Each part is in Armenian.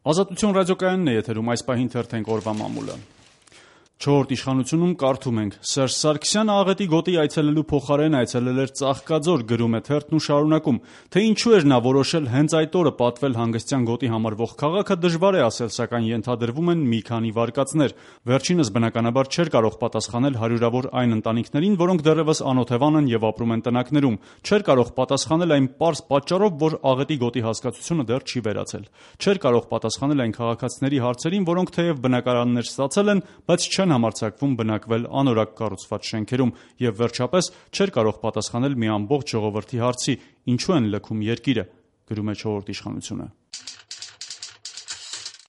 Ազատություն ռադիոկայանն է եթերում, այս պահին թերթենք օրվա մամուլը։ Չորրորդ իշխանությունում կարդում ենք. Սերժ Սարգսյանը աղետի գոտի այցելելու փոխարեն այցելել էր Ծաղկաձոր, գրում է թերթն ու շարունակում, թե ինչու էր նա որոշել հենց այդ օրը պատվել հանգստյան գոտի համարվող քաղաքը, դժվար է ասել, սակայն ենթադրվում են մի քանի վարկածներ։ Վերջինս բնականաբար չէր կարող պատասխանել հարյուրավոր այն ընտանիքներին, որոնք դեռևս անօթևան են եւ ապրում են տնակներում, չէր կարող պատասխանել այն պարզ պատճառով, որ աղետի գոտի հասկացությունը դեռ չի վերացել, չէր կարող պատասխանել այն քաղաքացիների հարցերին, որոնք թեև բնակարաններ ստացել են, բայց չեն համարձակվում բնակվել անորակ կառուցված շենքերում, եւ վերջապես չէր կարող պատասխանել մի ամբողջ ժողովրդի հարցի՝ ինչու են լքում երկիրը, գրում է Չորրորդ իշխանությունը։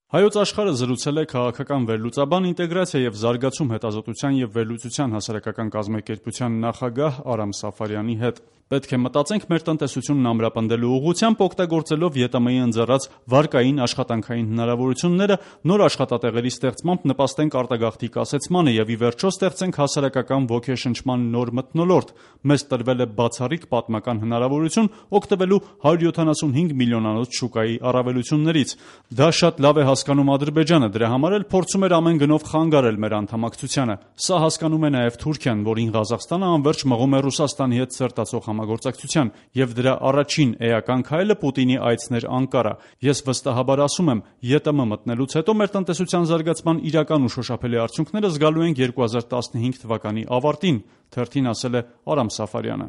Հայոց աշխարհը զրուցել է քաղաքական վերլուծաբան, ինտեգրացիա եւ զարգացում հետազոտության եւ վերլուծության հասարակական կազմակերպության նախագահ Արամ Սաֆարյանի հետ։ Պետք է մտածենք մեր տնտեսությունն ամրապնդելու ուղղությամբ, օգտագործելով ԵՏՄ-ի ընձեռած վարկային աշխատանքային հնարավորությունները, նոր աշխատատեղերի ստեղծմամբ նպաստենք արտագաղթի կասեցմանը եւ ի վերջո ստեղծենք հասարակական ոգեշնչման նոր մթնոլորտ։ Մեզ տրվել է բացառիկ պատմական հնարավորություն օգտվելու 175 միլիոնանոց շուկայի առավելություններից։ Դա շատ լավ է հասկանում Ադրբեջանը, դրա համար էլ փորձում էր ամեն գնով խանգարել մեր անդամակցությանը։ Սա հասկանում է նաեւ Թուրքիան, որին Ղազախստանը անverջ մղում է Ռուսաստանի հետ սերտացող համագործակցության, եւ դրա առաջին էական քայլը Պուտինի այցն էր Անկարա։ Ես վստահաբար ասում եմ, ԵՏՄ մտնելուց հետո մեր տնտեսության զարգացման իրական ու շոշափելի արդյունքները զգալու ենք 2015 թվականի ավարտին, թերթին ասել է Արամ Սաֆարյանը։